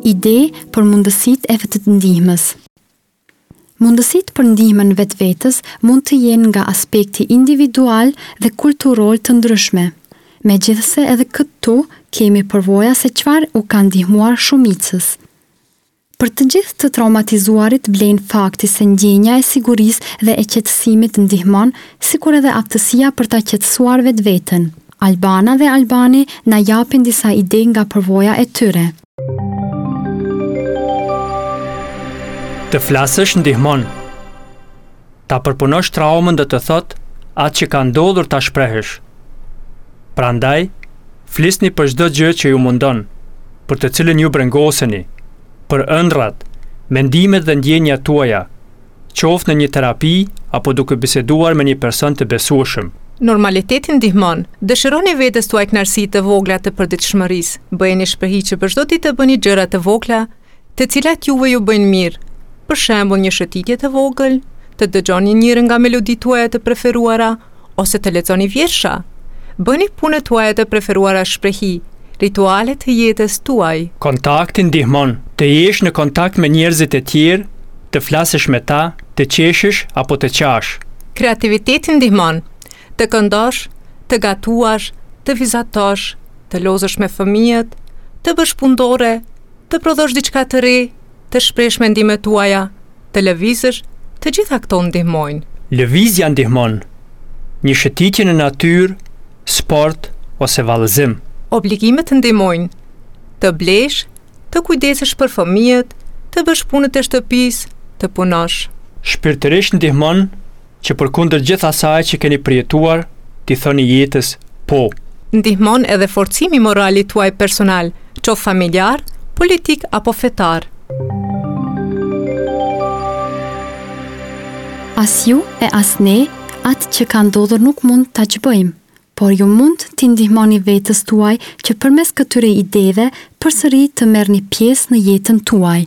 Ide për mundësitë e vetëndihmës. Mundësitë për ndihmën vetvetes mund të jenë nga aspekti individual dhe kulturor të ndryshme. Megjithëse edhe këtu kemi përvoja se çfarë u ka ndihmuar shumicës. Për të gjithë të traumatizuarit vlen fakti se ndjenja e sigurisë dhe e qetësimit ndihmon, sikur edhe aftësia për ta qetësuar vetveten. Albana dhe Albani na japin disa ide nga përvoja e tyre. Të flasësh ndihmon. Ta përpunosh traumën do të thotë atë që ka ndodhur ta shprehësh. Prandaj, flisni për çdo gjë që ju mundon, për të cilën ju brengoseni, për ëndrrat, mendimet dhe ndjenjat tuaja, qoftë në një terapi apo duke biseduar me një person të besueshëm. Normaliteti ndihmon. Dëshironi vetes tuaj kënaqësi të vogla të përditshmërisë. Bëjeni shprehi që për çdo ditë të bëni gjëra të vogla, të cilat juve ju bëjnë mirë. Për shembull, një shëtitje të vogël, të dëgjoni njërën nga meloditë tuaja të preferuara ose të lexoni vjersha. Bëni punët tuaja të preferuara shprehi, rituale të jetës tuaj. Kontakti ndihmon. Të jesh në kontakt me njerëzit e tjerë, të flasësh me ta, të qeshësh apo të qash. Kreativiteti ndihmon. Të këndosh, të gatuash, të vizatosh, të lozësh me fëmijët, të bësh punëdore, të prodhosh diçka të re, të shprehësh mendimet tuaja, të lëvizësh, të gjitha këto ndihmojnë. Lëvizja ndihmon. Një shëtitje në natyrë, sport ose vallëzim. Obligimet ndihmojnë. Të blesh, të kujdesesh për fëmijët, të bësh punët e shtëpisë, të punosh. Shpirtërisht ndihmon që përkundër gjithë asaj që keni përjetuar, t'i thoni jetës po. Ndihmon edhe forcimi i moralit tuaj personal, qoftë familjar, politik apo fetar. As ju e as ne, atë që ka ndodhur nuk mund ta ç'bëjmë, por ju mund t'i ndihmoni vetes tuaj që përmes këtyre ideve përsëri të merrni pjesë në jetën tuaj.